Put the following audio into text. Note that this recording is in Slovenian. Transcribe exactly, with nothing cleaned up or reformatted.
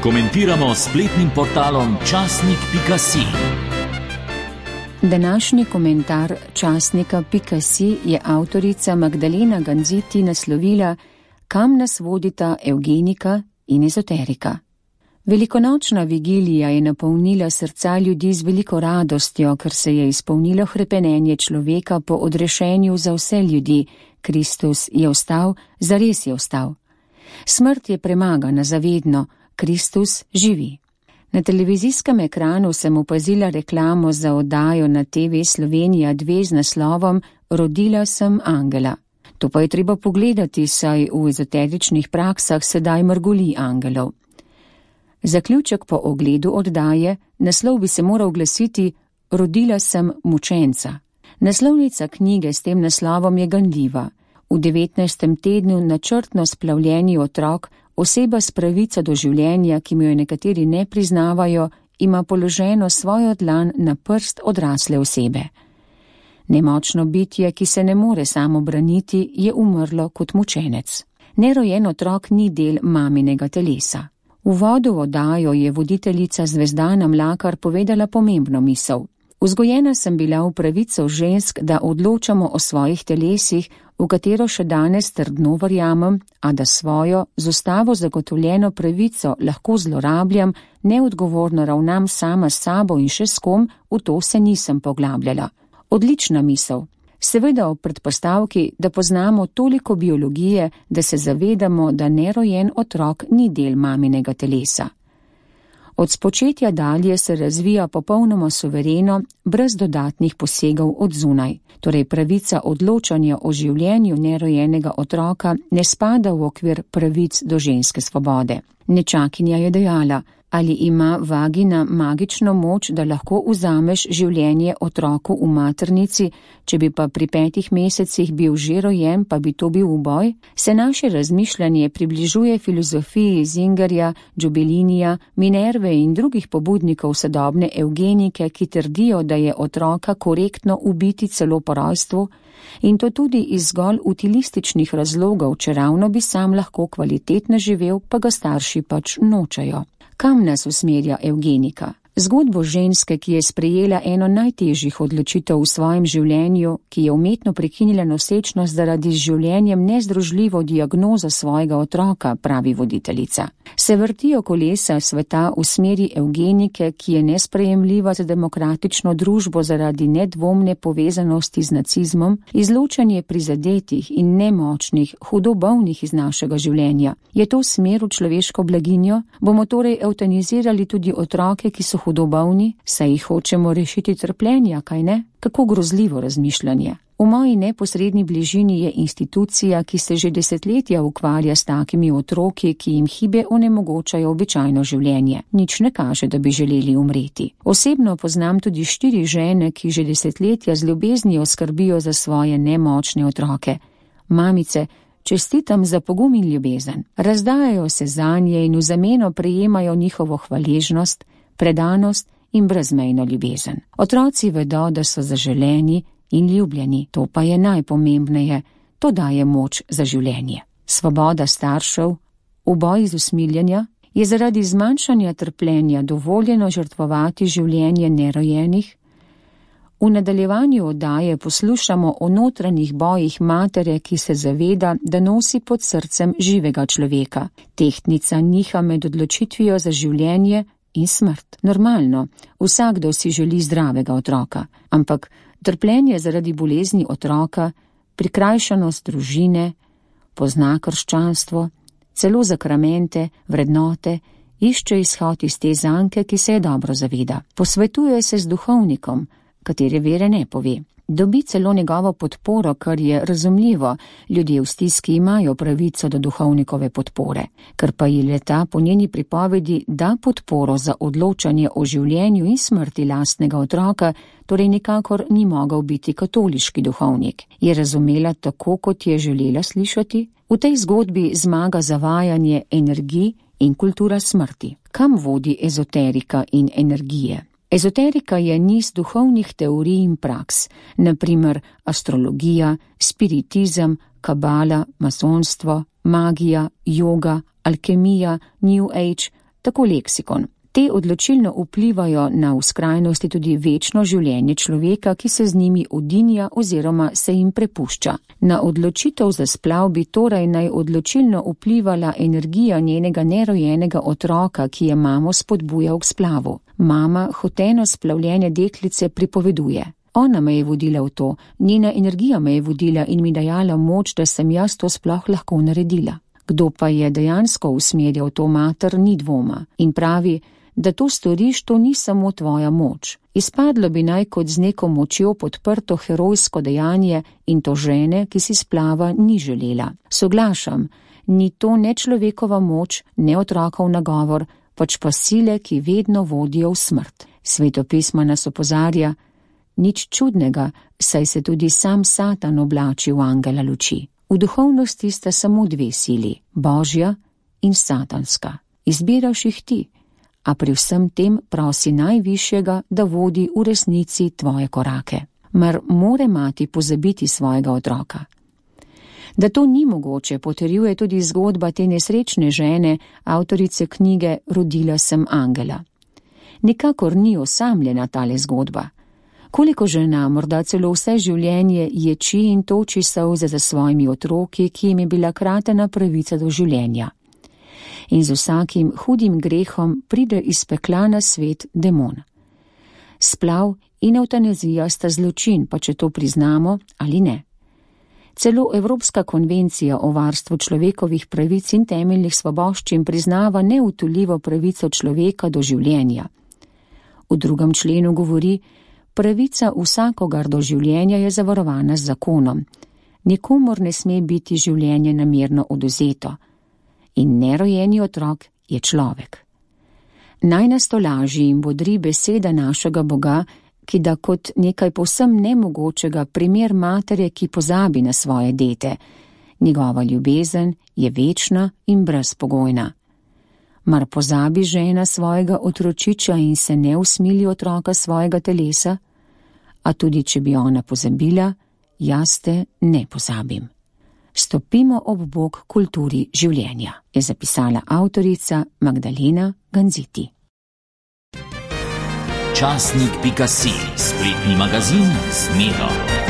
Komentiramo s spletnim portalom časnik pika si. Današnji komentar časnika pika si je avtorica Magdalena Ganziti naslovila Kam nas vodita evgenika in ezoterika. Velikonočna vigilija je napolnila srca ljudi z veliko radostjo, ker se je izpolnilo hrepenenje človeka po odrešenju za vse ljudi. Kristus je vstal, zares je vstal. Smrt je premagana zavedno, Kristus živi. Na televizijskem ekranu sem opazila reklamo za oddajo na te ve Slovenija dve z naslovom Rodila sem angela. To pa je treba pogledati, saj v ezoteričnih praksah sedaj mrgoli angelov. Zaključek po ogledu oddaje, naslov bi se moral glasiti Rodila sem mučenca. Naslovnica knjige s tem naslovom je ganljiva. V devetnajstem tednu načrtno splavljeni otrok, oseba s pravico do življenja, ki mu jo nekateri ne priznavajo, ima položeno svojo dlan na prst odrasle osebe. Nemočno bitje, ki se ne more samo braniti, je umrlo kot mučenec. Nerojen otrok ni del maminega telesa. V uvodu v oddajo je voditeljica Zvezdana Mlakar povedala pomembno misel. Vzgojena sem bila v pravico žensk, da odločamo o svojih telesih, v katero še danes trdno verjamem, a da svojo, z ustavo zagotovljeno pravico lahko zlorabljam, neodgovorno ravnam sama s sabo in še s kom, v to se nisem poglabljala. Odlična misel. Seveda ob predpostavki, da poznamo toliko biologije, da se zavedamo, da nerojen otrok ni del maminega telesa. Od spočetja dalje se razvija popolnoma suvereno, brez dodatnih posegov od zunaj. Torej pravica odločanja o življenju nerojenega otroka ne spada v okvir pravic do ženske svobode. Nečakinja je dejala, ali ima vagina magično moč, da lahko vzameš življenje otroku v maternici, če bi pa pri petih mesecih bil že rojen, pa bi to bil uboj? Se naše razmišljanje približuje filozofiji Zingerja, Džubelinija, Minerve in drugih pobudnikov sodobne evgenike, ki trdijo, da je otroka korektno ubiti celo po rojstvu, in to tudi iz zgolj utilističnih razlogov, če ravno bi sam lahko kvalitetno živel, pa ga starši pač nočejo. Kam nas usmerja evgenika? Zgodbo ženske, ki je sprejela eno najtežjih odločitev v svojem življenju, ki je umetno prekinila nosečnost zaradi z življenjem nezdružljivo diagnozo svojega otroka, pravi voditeljica. Se vrtijo kolesa sveta v smeri evgenike, ki je nesprejemljiva za demokratično družbo zaradi nedvomne povezanosti z nacizmom, izločanje prizadetih in nemočnih, hudo bolnih iz našega življenja. Je to smer v človeško blaginjo? Bomo torej evtanizirali tudi otroke, ki so hudo bolni, saj jih hočemo rešiti trpljenja, kaj ne? Kako grozljivo razmišljanje. V moji neposredni bližini je institucija, ki se že desetletja ukvarja s takimi otroki, ki jim hibe onemogočajo običajno življenje. Nič ne kaže, da bi želeli umreti. Osebno poznam tudi štiri žene, ki že desetletja z ljubeznijo skrbijo za svoje nemočne otroke. Mamice, čestitam za pogum in ljubezen. Razdajajo se zanje in v zameno prejemajo njihovo hvaležnost, predanost in brezmejno ljubezen. Otroci vedo, da so zaželeni in ljubljeni, to pa je najpomembneje, to daje moč za življenje. Svoboda staršev, v boji z usmiljenja, je zaradi zmanjšanja trpljenja dovoljeno žrtvovati življenje nerojenih. V nadaljevanju oddaje poslušamo o notranjih bojih matere, ki se zaveda, da nosi pod srcem živega človeka. Tehtnica niha med odločitvijo za življenje in smrt. Normalno, vsakdo si želi zdravega otroka, ampak trpljenje zaradi bolezni otroka, prikrajšanost družine, pozna krščanstvo, celo zakramente, vrednote, išče izhod iz te zanke, ki se je dobro zaveda. Posvetuje se z duhovnikom, katere vere ne pove. Dobi celo njegovo podporo, kar je razumljivo, ljudje v stiski imajo pravico do duhovnikove podpore, ker pa ji leta po njeni pripovedi da podporo za odločanje o življenju in smrti lastnega otroka, torej nikakor ni mogel biti katoliški duhovnik. Je razumela tako, kot je želela slišati? V tej zgodbi zmaga zavajanje energij in kultura smrti. Kam vodi ezoterika in energije? Ezoterika je niz duhovnih teorij in praks, na primer astrologija, spiritizem, kabala, masonstvo, magija, joga, alkemija, New Age, Tako leksikon. Te odločilno vplivajo na v skrajnosti tudi večno življenje človeka, ki se z njimi odinja oziroma se jim prepušča. Na odločitev za splav bi torej naj odločilno vplivala energija njenega nerojenega otroka, ki je mamo spodbujal k splavu. Mama hoteno splavljenje deklice pripoveduje. Ona me je vodila v to, njena energija me je vodila in mi dajala moč, da sem jaz to sploh lahko naredila. Kdo pa je dejansko usmerjal to mater, ni dvoma in pravi, da to storiš, to ni samo tvoja moč. Izpadlo bi naj kot z neko močjo podprto herojsko dejanje in to žene, ki si splava ni želela. Soglašam, ni to ne človekova moč, ne otrokov nagovor, pač pa sile, ki vedno vodijo v smrt. Svetopisma nas opozarja, nič čudnega, saj se tudi sam Satan oblači v angela luči. V duhovnosti sta samo dve sili, Božja in satanska. Izbiraš jih ti, a pri vsem tem prosi najvišjega, da vodi v resnici tvoje korake. Mar more mati pozabiti svojega otroka? Da to ni mogoče, potrjuje tudi zgodba te nesrečne žene, avtorice knjige Rodila sem angela. Nikakor ni osamljena tale zgodba. Koliko žena, morda celo vse življenje, ječi in toči solze za svojimi otroki, ki jim je bila kratena pravica do življenja. In z vsakim hudim grehom pride iz pekla na svet demon. Splav in evtanazija sta zločin, pa če to priznamo ali ne. Celo Evropska konvencija o varstvu človekovih pravic in temeljnih svoboščin priznava neutoljivo pravico človeka do življenja. V drugem členu govori, pravica vsakogar do življenja je zavarovana z zakonom. Nikomur ne sme biti življenje namerno odvzeto. In nerojeni otrok je človek. Naj nas tolaži in bodri beseda našega Boga, ki da kot nekaj povsem nemogočega primer matere, ki pozabi na svoje dete. Njegova ljubezen je večna in brezpogojna. Mar pozabi žena svojega otročiča in se ne usmili otroka svojega telesa? A tudi, če bi ona pozabila, jaz te ne pozabim. Stopimo ob bok kulturi življenja, je zapisala avtorica Magdalena Ganziti. Časnik pika si, spletni magazin z Medo.